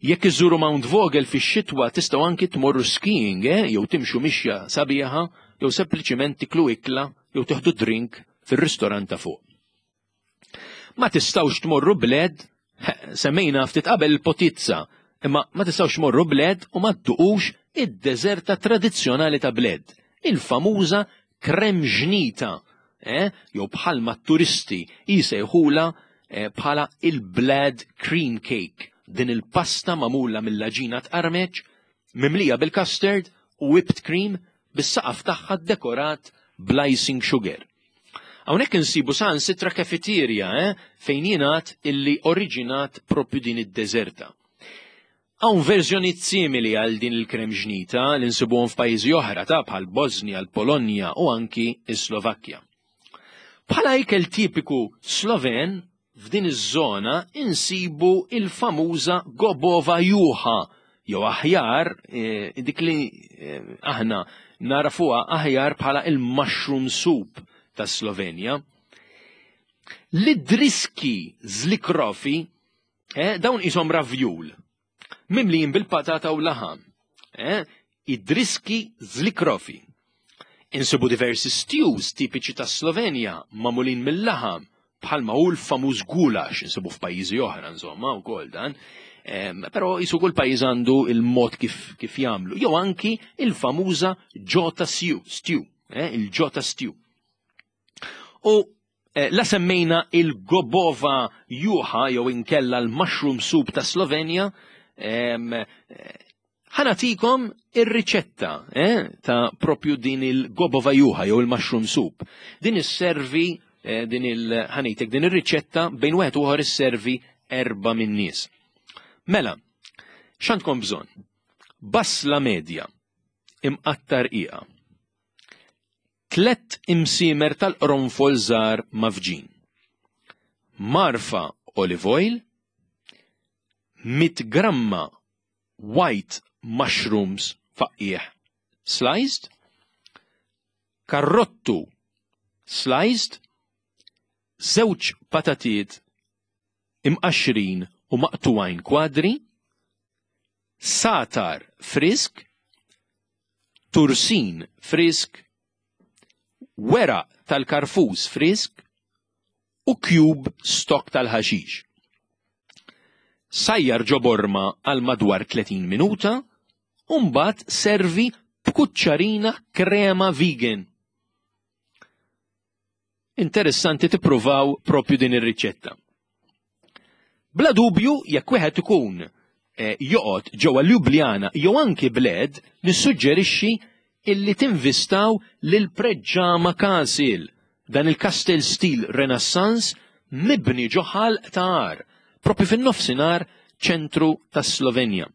Jekk iżuru Mount Vogel fix-xitwa tistgħu anki tmorru skiing eh, jew timxu mixja sabiħa jew sempliċiment tiklu ikla jew teħdu drink fir-ristorant ta' fuq. Ma tistgħux tmorru bled, semmejna ftit qabel il-potizza, imma ma tistgħux tmorru bled u ma dduqux id-deżerta tradizzjonali ta' bled, il-famuża kremġnita, eh, jew bħalma t-turisti jisejħula eh, bħala il-blad cream cake, din il-pasta magħmula mill-aġina tqarmeċ, mimlija bil-custard u whipped cream bis-saqaf tagħha dekorat bl-icing sugar. Hawnhekk insibu saħansitra kafeterja eh, fejn jingħad illi oriġinat propju din id-deżerta. Hawn verżjonijiet simili għal din il-kremġnita li nsibuhom f'pajjiżi oħra ta' bħal Bosnia, l-Polonja u anki s-Slovakkja. Bħala ikel tipiku Sloven, F'din iż-żona insibu il-famuża Gobova Juha, jew aħjar eh, dik li eh, aħna narafuha aħjar bħala il-mushroom soup ta' Slovenja. L-idriski zlikrofi, eh, dawn isom ravjul, mimlijin bil-patata u laħam. Eh? Id-driski zlikrofi. Insibu diversi stews tipiċi ta' Slovenja magħmulin mill-laħam bħalma hu l-famuż gulax insibu f'pajjiżi oħra insomma wkoll dan. Però jisu kull pajjiż għandu il-mod kif, kif jagħmlu. Jew anki il-famuża ġota stew, stew, eh, il-ġota stew. U eh, la semmejna il-Gobova juha jew inkella l-mushroom soup ta' Slovenja, eh, ħanatikom ir-riċetta eh, ta' propju din il-Gobova juha jew il-mushroom soup. Din isservi din il-ħanitek din ir-riċetta bejn wieħed u ieħor isservi erba' min-nies. Mela, x'għandkom bżonn? Basla medja imqatta rqiqa. Tlett imsiemer tal-qronfol żgħar mgħaffġin. Mgħarfa olive oil, 100 gramma white mushrooms faqqiegħ sliced, karrottu sliced, żewġ patatiet imqaxxrin u maqtugħin kwadri, sagħtar frisk, tursin frisk, weraq tal-karfus frisk u cube stock tal-ħaxix. Sajjar ġo borma għal madwar 30 minuta u mbagħad servi b'kuċċarina krema vegan. Interessanti tippruvaw propju din ir-riċetta. Bla dubju jekk wieħed ikun eh, joqgħod ġewwa Ljubljana jew anki Bled, nissuġġerixxi illi tinvistaw lil Preġġama Castle, dan il-kastell stil Renaissance mibni ġo ħalq ta' għar, propju fin-nofsinhar ċentru tas-Slovenja.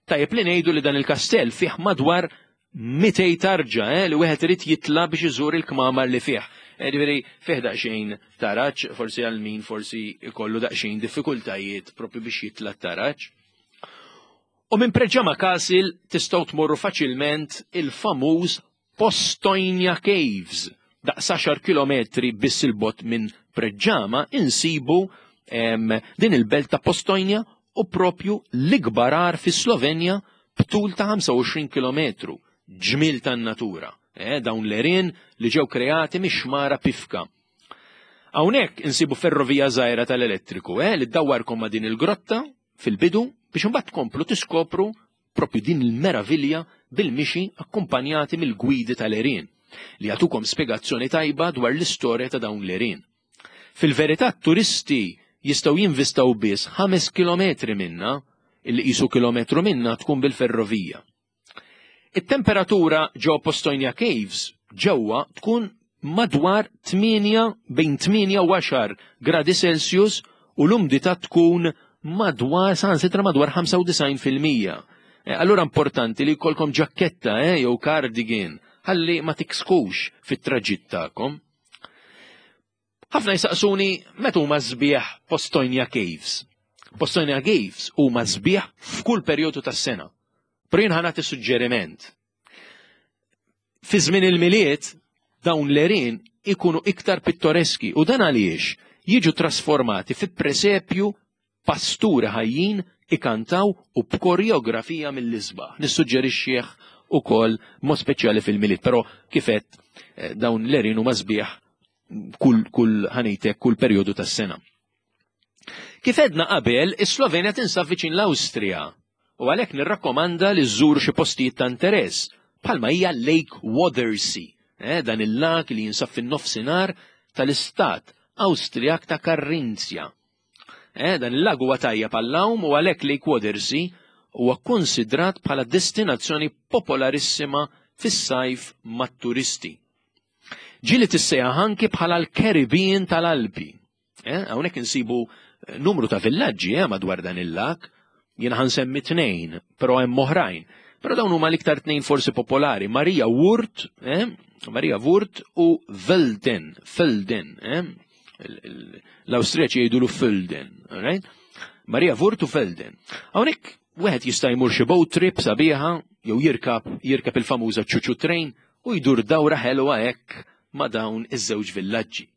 Tajjeb li ngħidu li dan il-kastell fih madwar 200 tarġa eh, li wieħed irid jitla biex iżur il-kmamar li fih. Eh, ġifieri fih daqsxejn taraġ, forsi għal min forsi jkollu daqsxejn diffikultajiet propju biex jitla taraġ. U minn Preġama Castle tistgħu tmorru faċilment il-famuż Postojnja Caves, daqs 10 kilometri biss il-bot minn Preġama insibu din il-belt ta' Postojnja u propju l-ikbar għar fi Slovenja b'tul ta' 25 kilometru, ġmiel tan-natura, eh, dawn l-għerien li ġew kreati mix-xmara Pifka. Hawnhekk insibu ferrovija żgħira tal-elettriku, eh, li ddawwarkom ma' din il-grotta fil-bidu biex imbagħad tkomplu tiskopru propju din il-meravilja bil-mixi akkumpanjati mill-gwidi tal-għerien li jagħtukom spjegazzjoni tajba dwar l-istorja ta' dawn l-għerien. Fil-verità t-turisti jistgħu jinvistaw biss 5 kilometri minnha, illi qisu kilometru minnha tkun bil-ferrovija. It-temperatura ġo Postojnja Caves ġewwa tkun madwar 8 bejn 8 u 10 gradi Celsius u l-umdità tkun madwar saħansitra madwar 95%. Eh, allura importanti li jkollkom ġakketta eh, jew cardigan ħalli ma tiksħux fit-traġitt tagħkom. Ħafna jsaqsuni meta huma sbieħ Postojnja Caves. Postojnja Caves huma sbieħ f'kull perjodu tas-sena. Però jien ħa nagħti suġġeriment. Fi żmien il-Milied dawn l-għerien ikunu iktar pittoreski u dan għaliex jiġu trasformati fi presepju pasturi ħajjin ikantaw u b'koreografija mill-isbaħ. Nissuġġerixxih ukoll mod speċjali fil-Milied, però kif għedt eh, dawn l-għerien huma sbieħ kull kull ħanejtek kull perjodu tas-sena. Kif għedna qabel, is-Slovenja tinsab viċin l-Awstrija u għalhekk nirrakkomanda li żżur xi postijiet ta' interess bħalma hija Lake Watersea, eh, dan il-lag li jinsab fin-nofsinhar tal-istat Awstrijak ta' Karrinzja. Eh, dan il-lag huwa tajjeb għall-għawm u għalhekk Lake Watersea huwa kkonsidrat bħala destinazzjoni popolarissima fis-sajf mat-turisti. Ġieli tissejjaħ anki bħala l-Caribbean tal-Alpi. Eh, hawnhekk insibu eh, numru ta' villaġġi eh, madwar dan il-lak, jiena ħansemmi tnejn, però hemm oħrajn. Però dawn huma l-iktar tnejn forsi popolari, Maria Wurt, eh, Maria Wurt u Velden, Felden, eh, l-Awstrijaċi jgħidulu Felden, right? Maria Wurt u Felden. Hawnhekk wieħed jista' jmur xi boat trip sabiħa jew jirkab jirkab il-famuża ċuċu train u jdur dawra ħelwa hekk ma' dawn iż-żewġ villaġġi.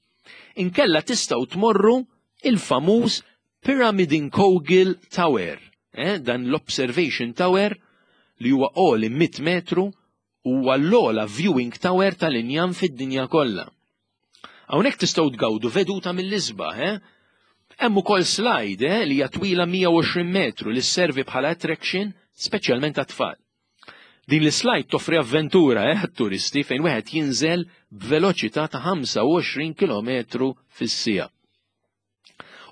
Inkella tistgħu tmorru il-famuż Pyramidenkogel Tower, eh, dan l-Observation Tower li huwa għoli 100 metru huwa l-ogħla viewing tower tal-injam fid-dinja kollha. Hawnhekk tistgħu tgawdu veduta mill-isbaħ, eh? Hemm ukoll slide eh, li hija twila 120 metru li sservi bħala attraction speċjalment għat-tfal. Din l-slide toffri avventura eh, għat-turisti fejn wieħed jinżel b'veloċità ta' 25 km fis-siegħa.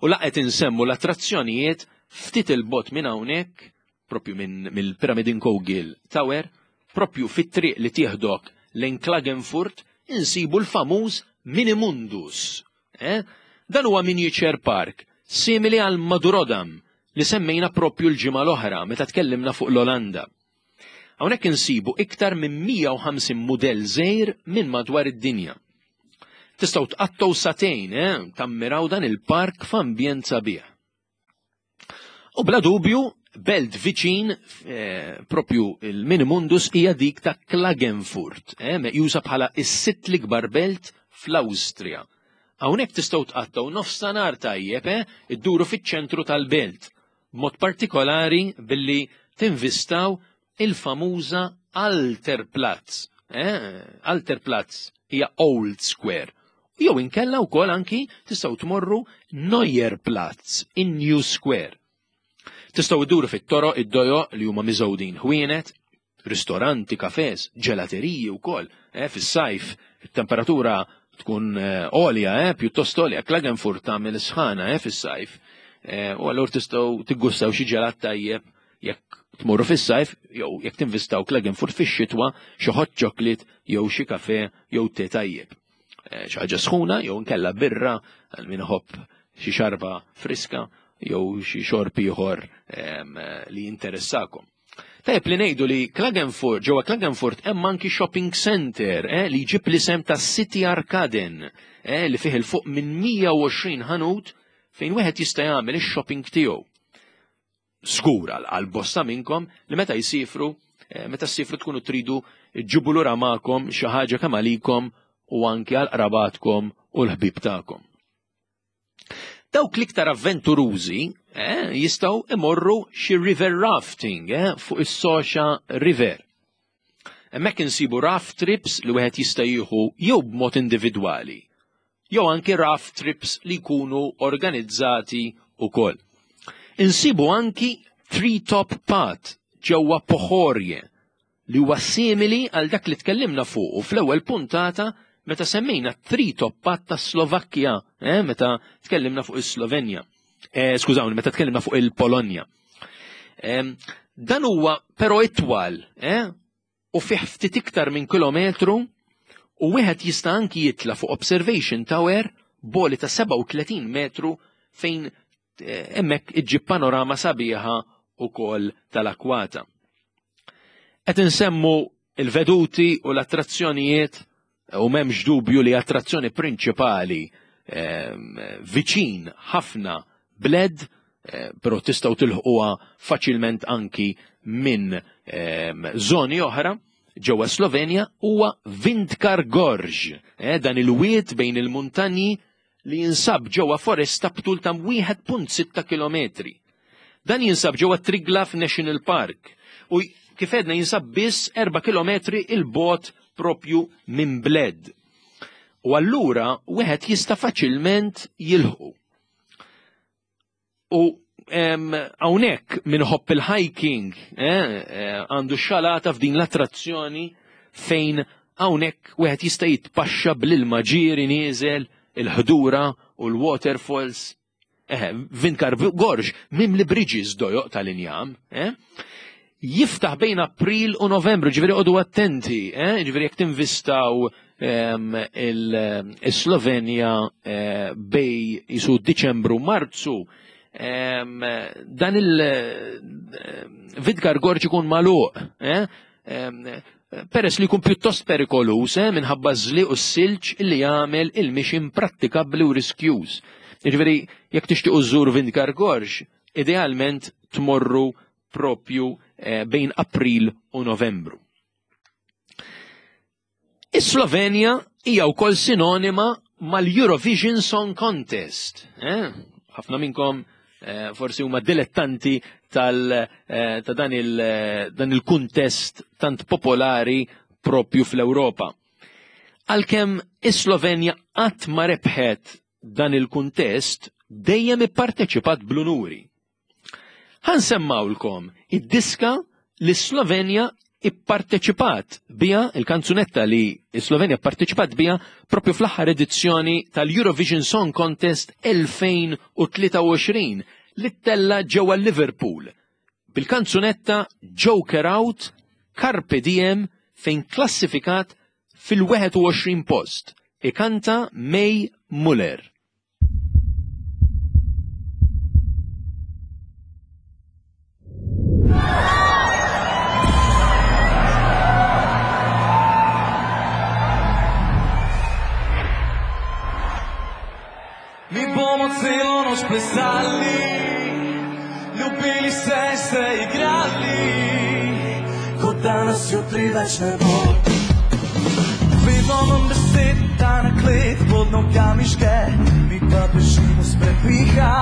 U la qed insemmu l-attrazzjonijiet ftit il-bot minn hawnhekk, propju minn mill-Pyramidenkogel Tower, propju fit-triq li tieħdok lejn Klagenfurt, insibu l-famuż Minimundus. Eh? Dan huwa miniature park, simili għal Madurodam li semmejna propju l-ġimgħa l-oħra meta tkellimna fuq l-Olanda. Hawnhekk insibu iktar minn 150 mudell żgħir minn madwar id-dinja. Tistgħu tqattgħu sagħtejn eh, tammiraw dan il-park f'ambjent sabiħ. U bla dubju, belt viċin eh, propju il-Minimundus hija dik ta' Klagenfurt, eh, meqjusa bħala is-sitt l-ikbar belt fl-Awstrija. Hawnhekk tistgħu tqattgħu nofstanhar tajjeb eh, idduru fiċ-ċentru tal-belt, b'mod partikolari billi tinvistaw il-famuża Alterplatz. Eh, Alterplatz hija Old Square. Jew inkella wkoll anki tistgħu tmorru Neuer Platz in New Square. Tistgħu dduru fit-toroq id-dojoq li huma miżgħudin ħwienet, ristoranti, kafes, ġelateriji wkoll, eh, fis-sajf it-temperatura tkun eh, għolja, eh, pjuttost għolja, Klagenfurt tagħmel sħana eh, fis-sajf. Eh, u allura tistgħu tiggustaw xi ġelat tajjeb jekk tmorru fis-sajf jew jekk tinvistaw Klagenfurt fix-xitwa xi hot chocolate jew xi kafe jew te tajjeb. Eh, xi ħaġa sħuna jew nkella birra għal min iħobb xi xarba friska jew xi xorb ieħor ehm, li jinteressakom. Tajjeb li ngħidu li Klagenfurt, ġewwa Klagenfurt hemm anki shopping center eh, li jġib l-isem ta' City Arkaden eh, li fih il fuq minn 120 ħanut fejn wieħed jista' jagħmel ix-shopping tiegħu. Żgur għal bosta minnkom li meta jsifru, eh, meta ssifru tkunu tridu ġġibu lura magħkom xi ħaġa kemm għalikom u anki għal qrabatkom u l-ħbieb tagħkom. Dawk l-iktar avventurużi eh, jistgħu imorru xi river rafting eh, fuq is-Soxa River. Hemmhekk insibu raft trips li wieħed jista' jieħu jew b'mod individwali jew anki raft trips li jkunu organizzati wkoll. Insibu anki Treetop Path ġewwa Pohorje li huwa simili għal dak li tkellimna fuqu fl-ewwel puntata meta semmejna Treetop Path ta' Slovakkja, eh, meta tkellimna fuq is-Slovenja. Eh, skużawni, meta tkellimna fuq il-Polonja. Eh, dan huwa però itwal, eh, u fih ftit iktar minn kilometru u wieħed jista' anki jitla' fuq observation tower b'għoli ta' 37 metru fejn eh, hemmhekk iġġib panorama sabiħa ukoll tal-akwata. Qed insemmu il-veduti u l-attrazzjonijiet u m'hemmx dubju li attrazzjoni prinċipali ehm, viċin ħafna bled, eh, però tistgħu tilħquha faċilment anki minn ehm, żoni oħra ġewwa Slovenja huwa Vindkar Gorge, eh, dan il-wied bejn il-muntanji li jinsab ġewwa foresta b'tul ta' 1.6 kilometri. Dan jinsab ġewwa Triglav National Park u kif għedna jinsab biss 4 kilometri 'il bogħod propju minn Bled. U allura wieħed jista' faċilment jilħqu. U hawnhekk min iħobb il-hiking eh, eh, għandu xalata f'din l-attrazzjoni fejn hawnhekk wieħed jista' jitpaxxa bl-ilma ġieri nieżel, il-ħdura u l-waterfalls. Eh, Vinkar Gorge mimli bridges dojoq tal-injam. Eh? Jiftaħ bejn April u Novembru, ġifieri qogħdu attenti, eh? ġifieri jekk tinvistaw ehm, il-Slovenja eh, bej jisu Diċembru Marzu, ehm, dan il-Vidgar eh, Gorġ ikun magħluq, eh? ehm, peress li jkun pjuttost perikolus minħabba żliq u s-silġ li jagħmel il-mixi imprattikabbli u riskjuż. Jiġifieri jekk tixtiequ żżur Vindgar Gorġ, idealment tmorru propju eh, bejn April u Novembru. Is-Slovenja hija wkoll sinonima mal-Eurovision Song Contest. Eh? Ħafna eh? minnkom eh, forsi huma dilettanti tal, eh, ta' dan il-kuntest tant popolari propju fl-Ewropa. Għalkemm is-Slovenja qatt ma rebħet dan il-kuntest dejjem ipparteċipat bl-unuri. Ħa nsemmawlkom id-diska li s-Slovenja ipparteċipat biha, il-kanzunetta li s-Slovenja pparteċipat biha propju fl-aħħar edizzjoni tal-Eurovision Song Contest 2023 li ttella' ġewwa Liverpool bil-kanzunetta Joker Out Carpe Diem fejn klassifikat fil-21 post. Ikanta May Muller. plesali, ljubili se in se igrali, kot da nas jutri več ne bo. Vedno manj besed, ta naklet pod nogami žge, mi pa bežimo s prepiha.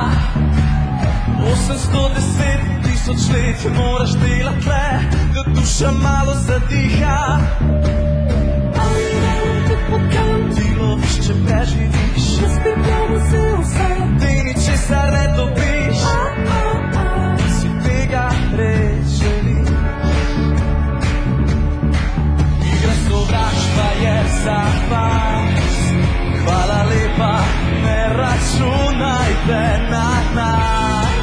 810 tisoč let moraš delat le, da duša malo zadiha. Ti loviš, če preživiš, ti ničesar ne dobiš. Si tega res želiš? Igra sovraštva je za vas. Hvala lepa, ne računajte na nas.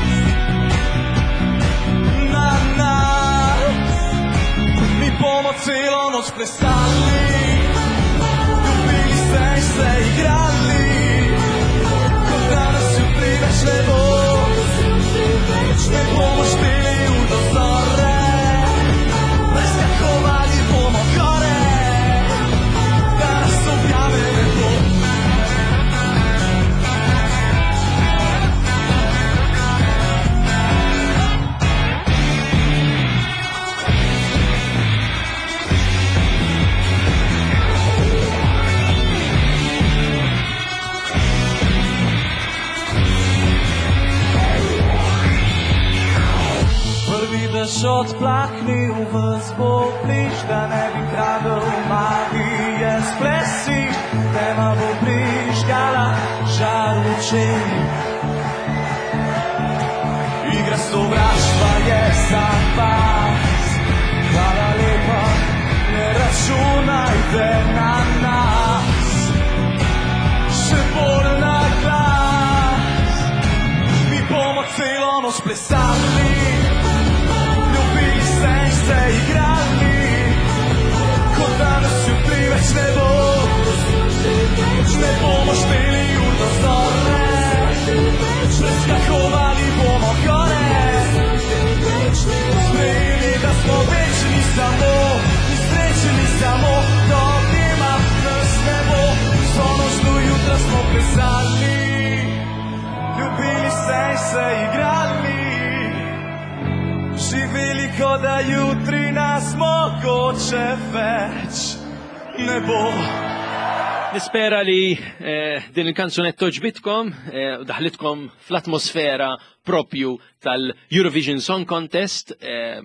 Na nas. Mi bomo celo noč plesali, ljubili se in se igrali, kot da nas jutri več ne bo. Ne bomo šteli ur do zore, preskakovali bomo gore, da nas objame nebo. Prvi dež odplahnil ves bo bliž, da ne bi kradel magije splesi, tema bo prižgala žar v očeh. Igra sovraštva je za vas. Hvala lepa, ne računajte na nas. Še bolj na glas. Mi bomo celo noč plesali, ljubili se in se igrali, kot da nas jutri več ne bo. Ne bomo šteli ur do zore, preskakovali bomo gore. Sprejeli, da smo večni samo in srečni samo, do objema nas ne bo. Vso noč do jutra smo plesali, ljubili se in se igrali, živeli, kot da jutri nas mogoče več ne bo. Nispera li eh, din il-kanzunetta ġbitkom eh, u daħlitkom fl-atmosfera propju tal-Eurovision Song Contest, eh,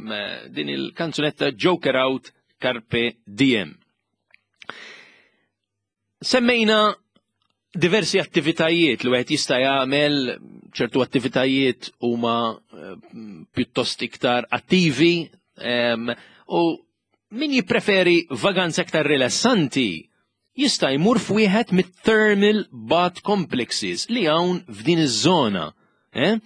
din il-kanzunetta Joker Out Carpe Diem. Semmejna diversi attivitajiet li wieħed jista' jagħmel, ċertu attivitajiet huma eh, pjuttost iktar attivi u min jippreferi vaganza iktar rilassanti jista' jmur f'wieħed mit-thermal bath complexes li hawn f'din iż-żona. Eh?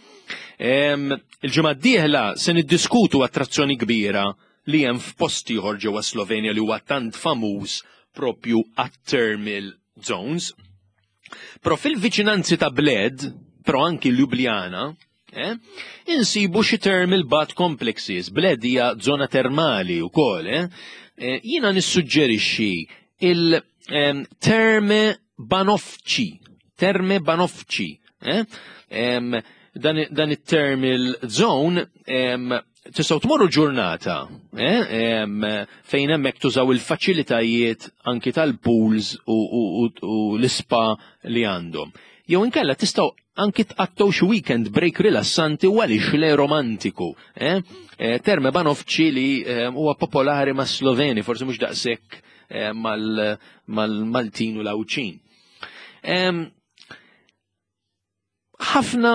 Il-ġimgħa d-dieħla se niddiskutu attrazzjoni kbira li hemm f'post ieħor ġewwa Slovenja li huwa tant famuż propju għat-thermal zones. Però fil-viċinanzi ta' Bled, però anki Ljubljana, eh, insibu xi thermal bath complexes. Bled hija żona termali wkoll, eh? eh jiena nissuġġerixxi il-Terme Banovci, Terme Banovci, eh? dan, dan it-thermal zone tistgħu tmorru ġurnata eh? fejn hemmhekk tużaw il-faċilitajiet anki tal-pools u, u, u, u l-ispa li għandhom. Jew inkella tistgħu anki tqattgħu xi weekend break rilassanti u għaliex le romantiku. Eh? eh Terme Banovci li eh, huwa popolari ma' Sloveni, forsi mhux daqshekk eh, mal-Maltin u l-Għawdxin. Ħafna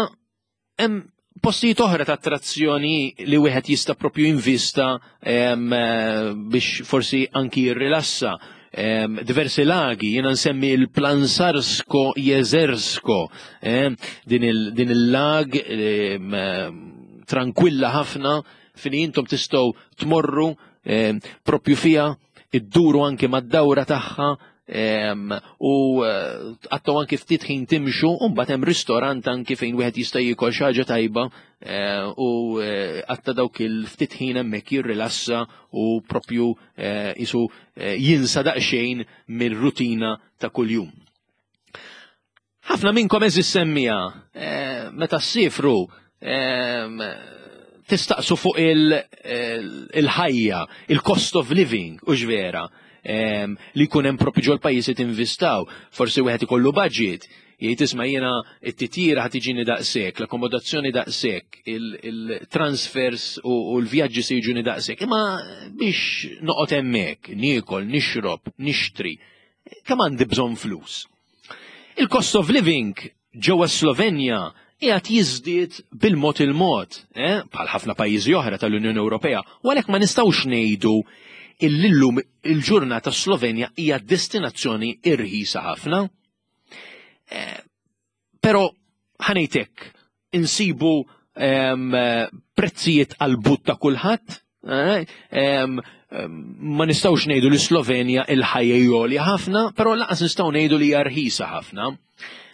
hemm postijiet oħra ta' attrazzjoni li wieħed jista' propju jinvista biex forsi anki jirrilassa. Diversi lagi, jiena nsemmi il-Plansarsko Jezersko, din il-lag tranquilla ħafna fejn intom tistgħu tmorru propju fiha, idduru anki mad-dawra tagħha u eh, tqattgħu anki ftit ħin timxu u mbagħad hemm ristorant anki fejn wieħed jista' jiekol xi ħaġa tajba eh, u eh, qatta dawk il-ftit ħin hemmhekk jirrilassa u propju isu jinsa daqsxejn mir-rutina ta' kuljum. Ħafna minnkom eżis semmija, eh, meta ssifru ehm, tistaqsu fuq il-ħajja, il-cost of living, u vera, ehm, li jkun hemm propju ġol pajjiżi tinvistaw, forsi wieħed ikollu budget, jgħid isma' jiena t-titjira ħad tiġini daqshekk, l-akkomodazzjoni daqshekk, il-transfers u l-vjaġġi se jiġuni daqshekk, imma biex noqgħod hemmhekk, niekol, nixrob, nixtri, kemm għandi bżonn flus. Il-cost of living ġewwa Slovenja qiegħed jiżdied bil-mod il-mod, eh, bħal ħafna pajjiżi oħra tal-Unjoni Ewropea, u għalhekk ma nistgħux ngħidu illum il-ġurnata Slovenja hija destinazzjoni irħisa ħafna. Eh, però ħanejtek insibu prezzijiet għal-but ta' kulħadd, eh, ma nistgħux ngħidu li Slovenja il-ħajja jolja ħafna, però laqas nistgħu ngħidu li hija rħisa ħafna.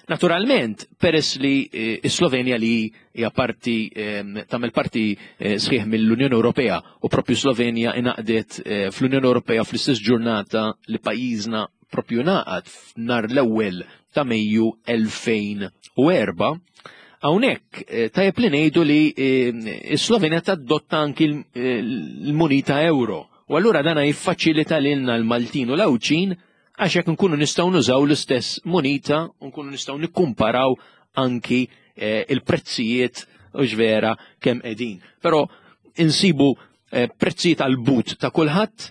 Naturalment, peress li eh, Slovenja li hija parti tagħmel parti eh, sħiħ mill-Unjoni Ewropea u propju Slovenja ingħaqdet fl-Unjoni Ewropea fl-istess ġurnata li pajjiżna propju ngħaqad f'nar l-ewwel ta' Mejju 2004. Hawnhekk eh, tajjeb li ngħidu li eh, s-Slovenja tadotta anki eh, l-munita euro. U allura dana jiffaċilita lilna l-Maltin u l-Għawdxin għax jekk nkunu nistgħu nużaw l-istess munita u nkunu nistgħu nikkumparaw anki il-prezzijiet u vera kemm qegħdin. Però insibu prezzijiet għal but ta' kulħadd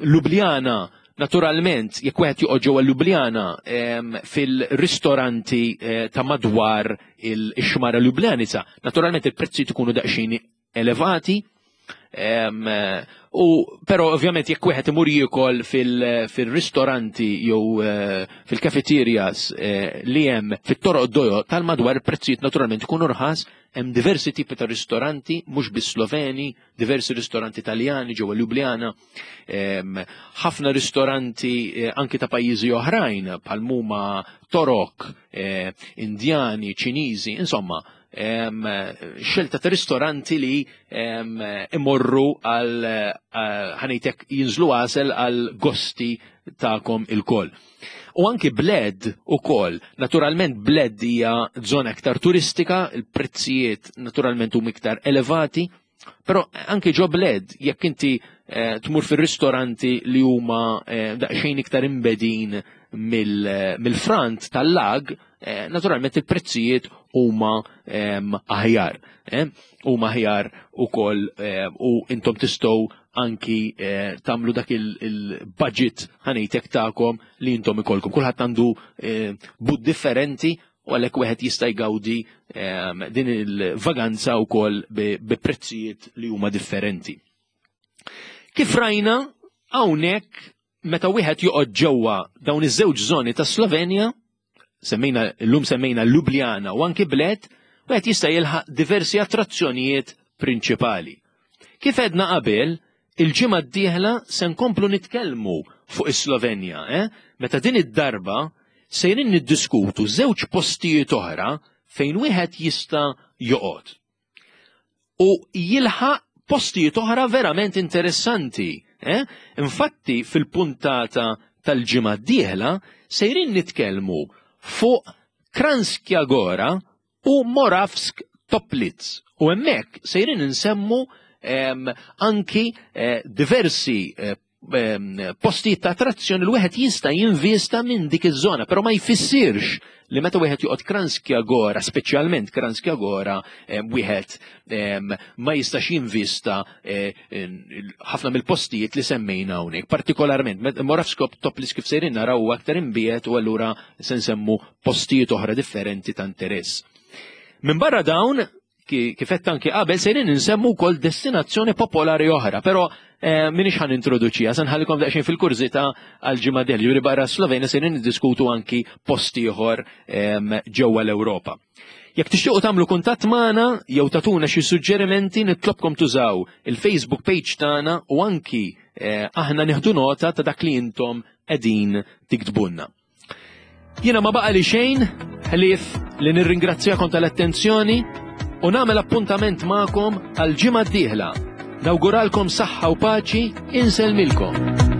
Ljubljana, naturalment, jekk wieħed joqgħod ġewwa Ljubljana fil-ristoranti eh, ta' madwar il-xmara Ljubljanica, naturalment il-prezzijiet ikunu daqsxejn elevati. U però ovvjament jekk wieħed imur jiekol fil-ristoranti jew eh, fil-cafeterias eh, li hemm fit-toroq dojo tal-madwar il-prezzijiet naturalment ikunu rħas, hemm diversi tipi ta' ristoranti mhux biss Sloveni, diversi ristoranti Taljani ġewwa Ljubljana, ħafna ristoranti eh, anki ta' pajjiżi oħrajn bħal huma Torok, eh, Indjani, Ċiniżi, insomma, xelta ta' ristoranti li imorru għal eh, ħanejtek jinżlu għasel għal gosti ta'kom il-koll. U anki Bled u koll, naturalment Bled hija zona iktar turistika, il-prezzijiet naturalment huma iktar elevati, però anki ġo Bled, jekk inti eh, tmur fir-ristoranti li huma eh, daqsxejn iktar imbedin mill-frant tal-lag, eh, naturalment il-prezzijiet huma ehm, aħjar. Eh, huma aħjar ukoll eh, u intom tistgħu anki eh, tagħmlu dak il-budget ħanejtek tagħkom li intom ikolkom. Kulħadd għandu eh, bud differenti u għalhekk wieħed jista' jgawdi ehm, din il-vaganza wkoll bi prezzijiet li huma differenti. Kif rajna hawnhekk meta wieħed joqgħod ġewwa dawn iż-żewġ żoni ta' Slovenja, semmejna llum semmejna Ljubljana u anki Bled, wieħed jista' jilħaq diversi attrazzjonijiet prinċipali. Kif għedna qabel, il-ġimgħa d-dieħla se nkomplu nitkellmu fuq is-Slovenja, eh? Meta din id-darba sejrin niddiskutu żewġ postijiet oħra fejn wieħed jista' joqgħod. U jilħaq postijiet oħra verament interessanti. Eh? Infatti fil-puntata tal-ġimgħa d-dieħla sejrin nitkellmu fuq Kranjska Gora u Moravsk Toplitz. U hemmhekk sejrin insemmu anki eh, diversi eh, postijiet ta' attrazzjoni li wieħed jista' jinvista minn dik iż-żona, però ma jfissirx li meta wieħed joqgħod Kranjska Gora, speċjalment Kranjska Gora, wieħed ma jistax jinvista eh, ħafna mill-postijiet li semmejna hawnhekk. Partikolarment, Moravsko Toplitz kif sejrin naraw aktar imbiet u allura se nsemmu postijiet oħra differenti ta' interess. Minn barra dawn, kif qed anki qabel sejrin insemmu wkoll destinazzjoni popolari oħra, però eh, minix ħan introduċija, se nħallikom daqsxejn fil-kurżità għal ġimgħa del, ġifieri barra Slovenja sejrin niddiskutu anki post ieħor ehm, ġewwa l-Ewropa. Jekk tixtiequ tagħmlu kuntatt magħna jew tagħtuna xi suġġerimenti nitlobkom tużaw il-Facebook page tagħna u anki eh, aħna nieħdu nota ta' dak li intom qegħdin tiktbulna. Jiena ma baqa li xejn ħlief li nirringrazzjakom tal-attenzjoni u nagħmel appuntament magħkom għal ġimgħa d-dieħla. Nawguralkom saħħa u paċi, insellmilkom.